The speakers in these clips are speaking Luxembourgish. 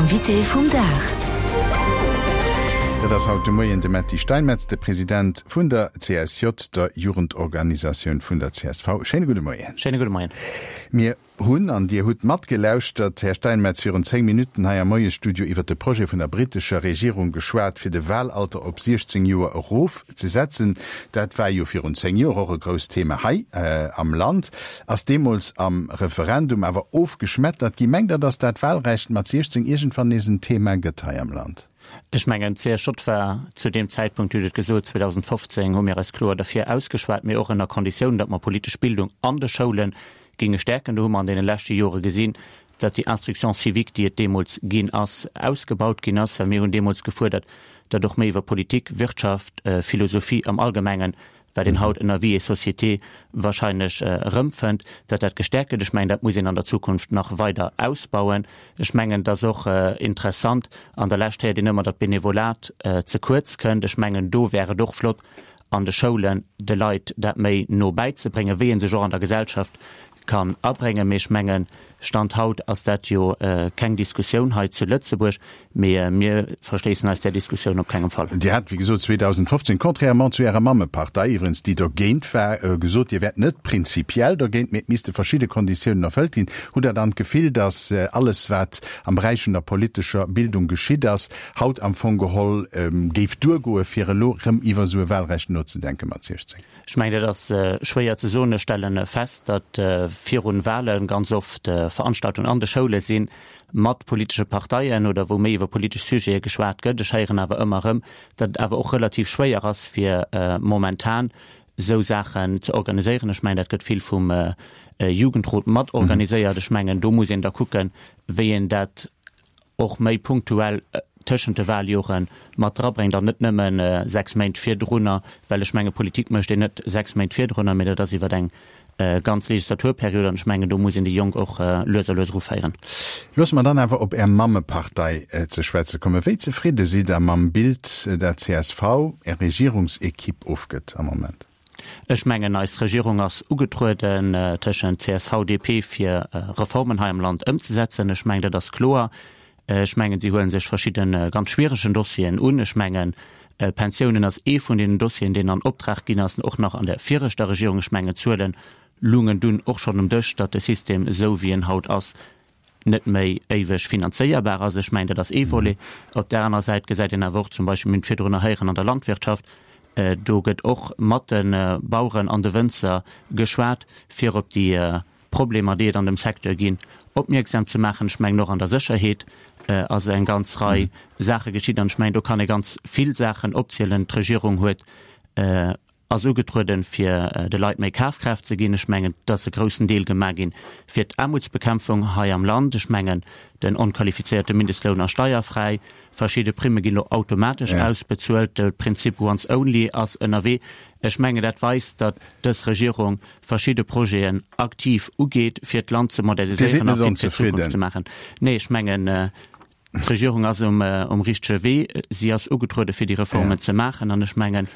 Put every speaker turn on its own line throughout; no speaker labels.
Invité vum Dag.
Dat ass haut de Moien de Metty Steinmetz, de President vun der CSJ, der Jugendorganisatioun vun der csv. Schéine gudde Moien.
Schéine gudde Moien.
Mir hunn, an Dir hutt matgelauschtert, Här Steinmetz, virun 10 Minutten hei am Moiesstudio iwwert de Projet vun der brittescher Regierung geschwat, fir de Wahlalter op 16 Joer erofzesetzen. Dat war jo virun 10 Joer och e grousst Thema hei am Land, ass deemools am Referendum awer ofgeschmettert ginn. Mengt Der, datt dat Wahlrecht mat 16 iergendwann nees en Thema gëtt hei am Land?
Ech mengen, d'CSJ war zu deem Zäitpunkt, Dir hutt et gesot, 2015 hu mir eis kloer derfir ausgeschwat, mee och ënner Konditioun, datt mer politesch Bildung an de Schoule géinge stäerken. Do hu mer an deene leschte Jore gesinn, datt déi Instruction civique, déi et deemools ginn ass, ausgebaut ginn ass, well mir hunn deemools gefuerdert, datt och méi iwwer Politik, Wirtschaft, Philosophie am Allgemengen, wat een haut ënner Vie et société wahrscheinlech erëmfënnt, datt dat gestäerkt gëtt. Ech mengen, dat muss een an der Zukunft nach weider ausbauen. Ech mengen, et ass och interessant, an der Lescht héiert een ëmmer, datt d'Benevolat ze kuerz kënnt. Ech mengen, do wär et och flott, an de Schoulen de Leit dat méi no bäizebréngen, wéi ee sech och an der Gesellschaft kann abréngen. Mee ech mengen, Stand haut ass dat jo keng Diskussioun hei zu Lëtzebuerg, mee mir verschléissen eis där Diskussioun op kengem Fall.
Dir hat, wéi gesot, 2015, contrairement zu Ärer Mammepartei iwwerens, déi dergéint war, gesot, Dir wäert net prinzipiell dergéint, mee et misste verschidde Konditiounen erfëllt ginn. Hutt Der dann d'Gefill, datt alles, wat am Beräich vun der politescher Bildung geschitt ass, haut am Fong geholl géif duergoe fir elo rëm iwwer esou e Wahlrecht nozedenke mat 16?
Ech mengen, dat ass schwéier ze soen. Ech stelle fest, datt virun Wahle ganz oft Veranstaltungen an de Schoule si mat politesche Parteien oder wou méi iwwer politesch Sujete geschwat gëtt. Ech héieren awer ëmmer erëm, datt et awer och relativ schwéier ass fir momentan esou Saachen ze organiséieren. Ech mengen, dat gëtt vill vum Jugendrot mat organiséiert. Ech mengen, do muss een da kucken, wéi een dat och méi punktuell tëschent de Wahljoren mat drabréngt an net nëmme 6 Méint virdrunner, well ech menge Politik mécht een net 6 Méint virdrunner, mee dat ass iwwer eng ganz Legislaturperiod an ech mengen do muss een déi Jonk och lues a lues eruféieren.
Loosse mer dann awer op Är Mammepartei ze schwätze kommen. Wéi zefridde sidd Der mam Bild, dat csv, Är Regierungsequipe, ofgëtt am Moment?
Ech mengen, eis Regierung ass ugetrueden tëschent csv, DP, fir Reformen hei am Land ëmzesetzen. Ech mengen, dat ass kloer. Ech mengen, si huele sech verschidde ganz schwieregen Dossieren un. Ech mengen, Pensiounen ass ee vun deenen Dossieren, deen an Optrag ginn ass, och nach an der viregter Regierung. Ech mengen, d'Zuele lungen dunn och schonn um Dësch, datt de System, esou wéi en haut ass, net méi éiweg finanzéierbar ass. Ech mengen, dat ass ee Volet. Op där anerer Säit gesäit een awer och zum Beispill, mir hunn et virdrunner héieren, an der Landwirtschaft, do gëtt och mat de Baueren an de Wënzer geschwat, fir op déi Problemer, déi et an dem Secteur ginn, opmierksam ze maachen. Ech mengen, och an der Sécherheet ass eng ganz Rei Saache geschitt. An ech mengen, do kann ee ganz vill Saachen opzielen. D'Regierung huet ass ugetrueden, fir de Leit méi Kafkraaft ze ginn. Ech mengen, et ass e groussen Deel gemaach ginn fir d'Aarmutsbekämpfung hei am Land. Ech mengen, den onqualifizéierte Mindestloun ass steierfräi, verschidde Primme ginn elo automatesch ausbezuelt, de Prinzip once only ass ënnerwee. Ech mengen, dat weist, datt dës Regierung verschidde Projeten aktiv ugeet, fir d'Land ze moderniséieren a fit fir d'Zukunft ze maachen. Nee, ech mengen, D'Regierung ass um richtege Wee. Si ass ugetruede fir déi Reformen ze maachen an ech mengen,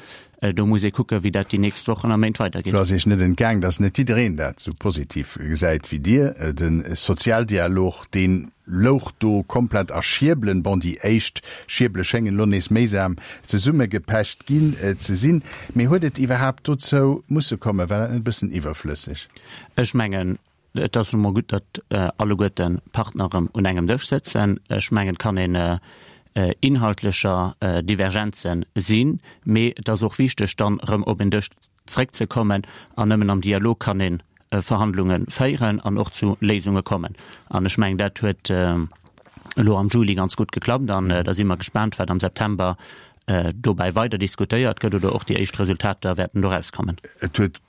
do muss ee kucken, wéi dat déi nächst Wochen a Méint weidergeet.
Do ass Iech net entgaang, datt net jiddereen dat esou positiv gesäit wéi Dir. De Sozialdialog, dee louch do komplett a Schierbelen. Bon, déi éischt Schierbele schéngen elo nees méisam zesummegepecht ginn ze sinn. Mee huet et iwwerhaapt dozou musse kommen? War dat net e bëssen iwwerflësseg?
Ech mengen, Et ass nu mol gutt, datt alleguerte Partner erëm un engem Dësch sëtzen. Ech mengen, et kann een inhaltlecher Divergenze sinn, mee et ass och wichteg, dann erëm op een Dësch zréckzekommen. An nëmmen am Dialog kann ee Verhandlunge féieren an och zu Léisunge kommen. An ech mengen, dat huet elo am Juli ganz gutt geklappt. An da si mer gespaant, wat am September dobäi weider diskutéiert gëtt oder och déi éischt Resultater wäerten do erauskommen.
Et huet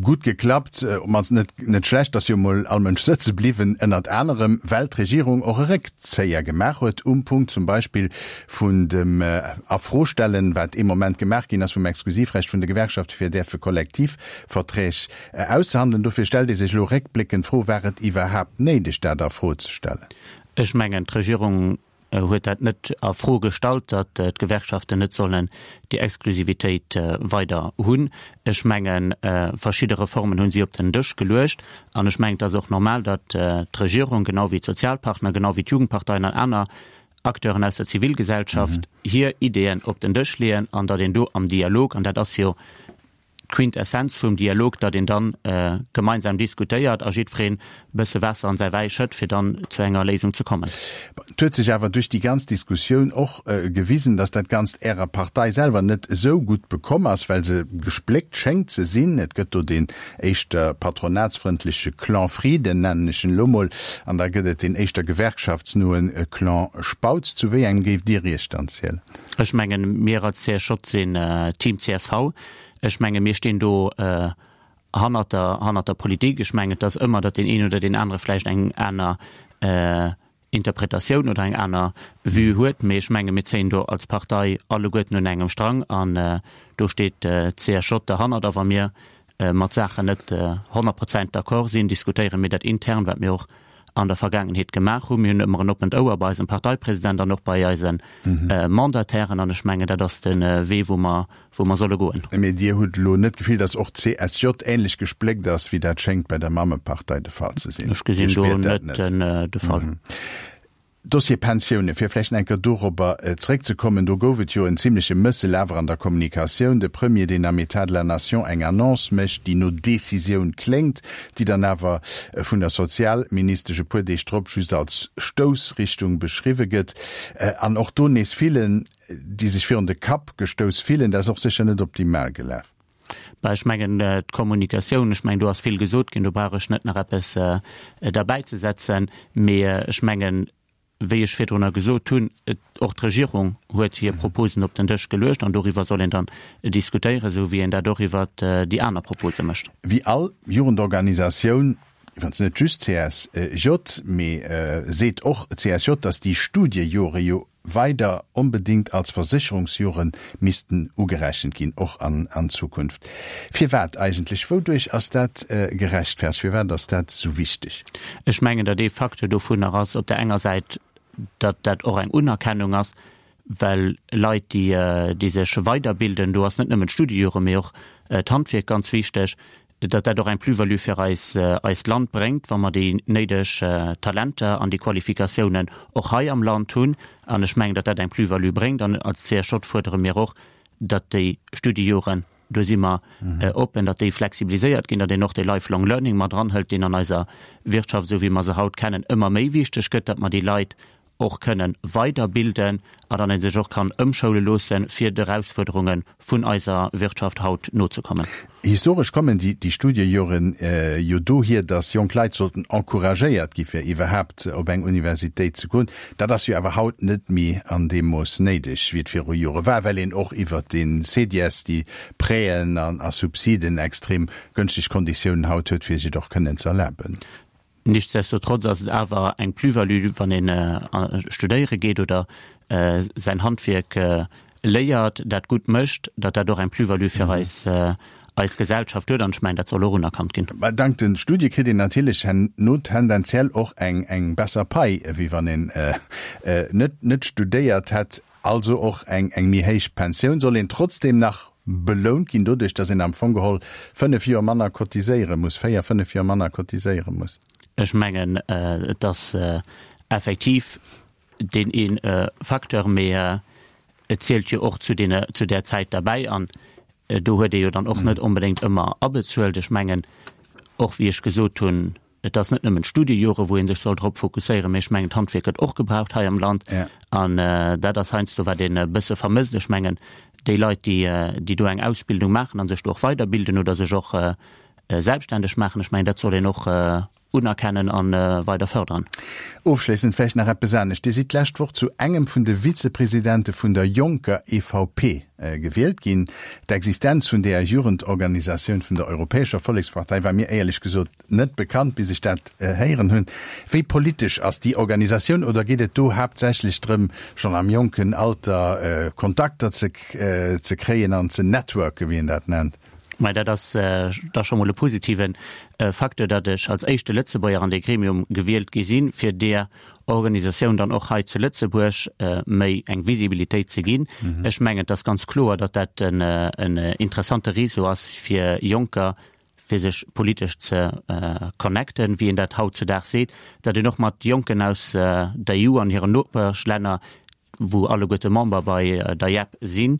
gutt geklappt, op mannst net net schlecht, dass jo mol all Mënsch sëtze bliwwen, ënnert anerem well d'Regierung och e Réckzéier gemaach huet um Punkt zum Beispill vun dem Afrostellen, wat ee Moment gemaach ginn ass, vum Exklusivrecht vun de Gewerkschafte fir däerfe Kollektivverträg auszehandelen. Dofir stellt ee sech elo réckbléckend d'Fro, War et iwwerhaapt néideg, dat a Fro ze stellen?
Ech mengen, d'Regierung. huet dat net a Fro gestallt, datt d'Gewerkschaften net sollen déi Exklusivitéit weider hunn. Ech mengen, verschidde Reformen hu si op den Dësch geluecht an ech mengen, et ass och normal, datt d'Regierung, genau wéi d'Sozialpartner, genau wéi d'Jugendparteien an aner Acteuren aus der Zivilgesellschaft hir Ideeën op den Dësch leeën an datt een do am Dialog, an dat ass jo d'Quintessenz vum Dialog, datt een dann gemeinsam diskutéiert a jiddwereen e bësse Waasser an säi Wäi schëtt, fir dann zu enger Léisung ze kommen.
Et huet sech awer duerch déi ganz Diskussioun och gewisen, datt dat Ganzt Ärer Partei selwer net esou gutt bekomm ass, well se gespléckt schéngt ze sinn. Et gëtt do deen éischter patronatsfrëndleche Clan Frieden, nennen ech en elo mol, an da gëtt et deen éischter gewerkschaftsnoe Clan Spautz. Zu wéi engem géift Dir Iech dann zielen?
Ech mengen, mir als CSJ sinn Team csv. Ech menge mir stinn do hannert der, hannert der Politik. Ech mengen, et ass ëmmer, datt deen een oder deen anere vläicht eng aner Interpretatioun oder eng aner Vue huet. Mee ech menge mir zéien do als Partei alleguerten un engem Strang an do steet d'CSJ derhannert. A wa mir mat Saachen net 100 Prozent d'accord sinn, diskutéiere mir dat intern, wat mir och an der Vergaangenheet gemaach hunn. Mir hunn ëmmer en oppent Ouer bei eisem Parteipresident an och bei eise Mandatairen an ech mengen, dat ass de Wee, wou mer, wou mer solle goen.
Mee Dir hutt elo net d'Gefill, datt och d'CSJ ähnlech gespléckt ass, wéi dat schéngt bei der Mammepartei de Fall ze sinn?
Ech gesinn do net de Fall.
Dossier Pensiounen, fir vläicht nach eng Kéier dorobber zréckzekommen, do gouf et jo en zimleche Mëssel awer an der Kommunikatioun. De Premier, deen am État de la Nation eng Annonce mécht, déi no Decisioun kléngt, déi dann awer vun der Sozialministesch e puer Deeg drop just als Stoussrichtung beschriwwe gëtt. An och do nees villen, déi sech virun de Kapp gestouss fillen. Dat ass och sécher net optimal gelaf.
Bah, ech mengen, d'Kommunikatioun, ech mengen, do ass vill gesot ginn, do brauch ech net nach eppes derbäizesetzen. Mee ech mengen, wéi ech virdrunner gesot hunn, et, och d'Regierung huet hir Proposen op den Dësch geluecht an doriwwer soll een dann diskutéieren, esou wéi een dat och iwwert déi aner Propose mécht.
Wéi all Jugendorganisatioun, iwwerens net just CSJ, mee seet och CSJ, datt déi Studiejore jo weider onbedéngt als Versécherungsjore missten ugerechent ginn, och an Zukunft. Firwat eigentlech? Wouduerch ass dat gerechtfertegt? Firwat ass dat esou wichteg?
Ech mengen, datt ee Facteur dovunner ass op der enger Säit, datt dat och eng Unerkennung ass, well Leit, déi déi sech weiderbilden, do ass net nëmmen d'Studiejore, mee och d'Handwierk ganz wichteg, datt dat och eng Plus-value fir eis, eist Land bréngt, wa mer déi néideg Talenter an déi Qualifikatiounen och hei am Land hunn. An ech mengen, datt dat eng Plus-value bréngt. An als CSJ fuerdere mir och, datt déi Studiejoren, do si mer oppen, datt déi flexibiliséiert ginn, datt een och dee Lifelong Learning mat eranhëlt, deen an eiser Wirtschaft, esou wéi mer se haut kennen, ëmmer méi wichteg gëtt, datt mer déi Leit och kënnen weiderbilden a dann ee sech och kann ëmschoule loossen, fir de Erausfuerderunge vun eiser Wirtschaft haut nozekommen.
Historesch kommen déi Studiejoren jo dohier, datt jonk Leit sollten encouragéiert gi fir iwwerhaapt op eng Universitéit ze goen. Dat ass jo awer haut net méi an deem Mooss néideg, wéi et viru Jore war, well een och iwwert de CEDIES, déi Prêten a Subsiden extrem gënschteg Konditiounen haut huet, fir sech et och kënnen ze erlaben.
Nichtsdestotrotz ass et awer eng Plus-value, wann een studéiere geet oder säin Handwierk léiert, dat gutt mécht, datt dat och eng Plus-value fir eis, eis Gesellschaft huet. An ech mengen, dat soll och unerkannt ginn.
Mä dank de Studie kritt een natierlech herno tendenziell och eng, eng besser Pai, wéi wann een net, net studéiert hätt. Also och eng eng méi héich Pensioun. Soll een trotzdem nach belount ginn doduerch, datt een am Fong geholl 5 Joer manner cotiséiere muss, 4, 5 Joer manner cotiséiere muss?
Ech mengen, et ass effektiv deen ee Facteur, mee et zielt jo och zu deene, zu där Zäit derbäi an do huet ee jo dann och net onbedéngt ëmmer abezuelt. Ech mengen och, wéi ech gesot hunn, Et ass net nëmmen d'Studiejore wou ee sech soll drop fokusséieren, mee ech mengen d'Handwierk gëtt och gebraucht hei am Land an dat ass heiansdo wat een e bësse vermësst. Ech mengen déi Leit déi déi do eng Ausbildung maachen a sech do och weiderbilden oder sech och selbstständeg maachen, ech mengen dat soll een och unerkennen a weider fërderen.
Ofschléissend vläicht nach eppes anescht, Dir sidd d'lescht Woch zu engem vun de Vizepresidente vun der jonker EVP gewielt ginn. D'Existenz vun deeër Jugendorganisatioun vun der Europäescher Vollekspartei war mir éierlech gesot net bekannt, bis ech dat héieren hunn. Wéi politesch ass déi Organisatioun oder geet et do haaptsächlech drëm, schonn am jonken Alter Kontakter ze kréien an ze networken, wéi een dat nennt?
Mä dat ass da scho mol e positive Facteur, datt ech als éischte Lëtzebuerger an dee Gremium gewielt gi sinn, fir där Organisatioun dann och hei zu Lëtzebuerg méi eng Visibilitéit ze ginn. Ech mengen, et ass ganz kloer, datt dat en interessante Réseau ass fir Jonker, fir sech politesch ze connecten, wéi een dat hautzudaags seet, datt een och mat Jonken aus der EU an hiren Nopeschlänner, wou alleguerte Member bei der YEP sinn,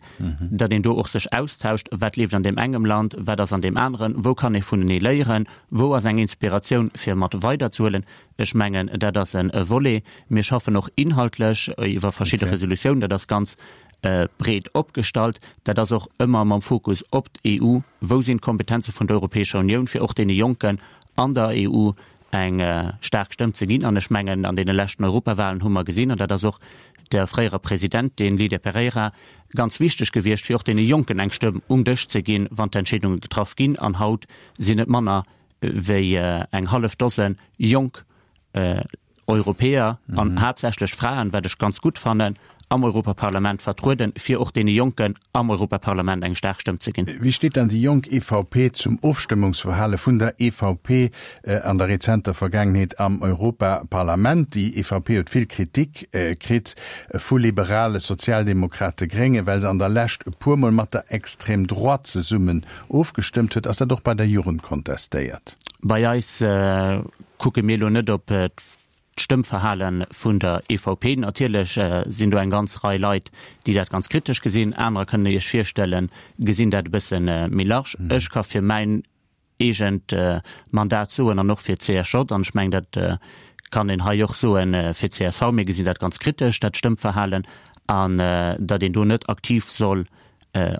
datt een do och sech austauscht, wat leeft an deem engem Land, wat ass an deem aneren, wou kann ee vunenee léieren, wou ass eng Inspiratioun fir mat weiderzehuelen. Ech mengen, dat ass e Volet. Mir schaffen och inhaltlech iwwer verschidde Resolutiounen, dat ass ganz breet opgestallt. Dat ass och ëmmer mam Fokus op d'EU, wou sinn d'Kompetenze vun der Europäescher Unioun, fir och deene Jonken an der EU eng staark Stëmm ze ginn. An ech mengen, an deene leschten Europawahlen hu mer gesinn, an dat ass och der fréierer Presidentin Lydia Pereira ganz wichteg gewiescht, fir och deene Jonken eng Stëmm um Dësch ze ginn, wann d'Entscheedunge getraff ginn. An haut sinn et manner wéi eng hallef Dose jonk Europäer an haaptsächlech Fraen, wat ech ganz gutt fannen, am Europaparlament vertrueden, fir och deene Jonken am Europaparlament eng staark Stëmm ze ginn.
Wéi steet dann déi jonk EVP zum Ofstëmmungsverhale vun der EVP an der rezenter Vergaangenheet am Europaparlament? Déi EVP huet vill Kritik kritt vu Liberale, Sozialdemokrate, Gréngen, well se an der Lescht e puermol mat der Extrême droite zesummen ofgestëmmt huet. Ass dat och bei der Jugend kontestéiert?
Bei eis kucke mir elo net op d'Stëmmverhale vun der EVP. Natierlech sinn do eng ganz Rei Leit, déi dat ganz kritesch gesinn. Anerer, kënnt Der Iech virstellen, gesinn dat e bësse méi large. Ech ka fir mäin eegent Mandat soen an och fir d'CSJ, an ech mengen, dat kann een hei och soe fir d'CSV, mir gesinn dat ganz kritesch, dat Stëmmverhalen, an datt een do net aktiv soll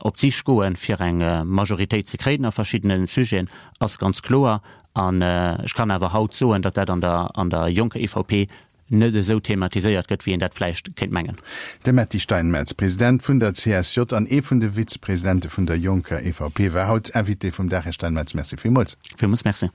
Op d'Sich goen, fir eng Majoritéit ze kréien a verschiddene Sujeten, ass ganz kloer. An ech kann awer haut soen, datt dat an der an der jonker EVP net esou thematiséiert gëtt, wéi een dat vläicht kéint mengen.
De Metty Steinmetz, President vun der CSJ an ee vun de Vizepresidente vun der jonker EVP, war haut Invité vum Dag. Här Steinmetz, Merci villmools.
Villmools Merci.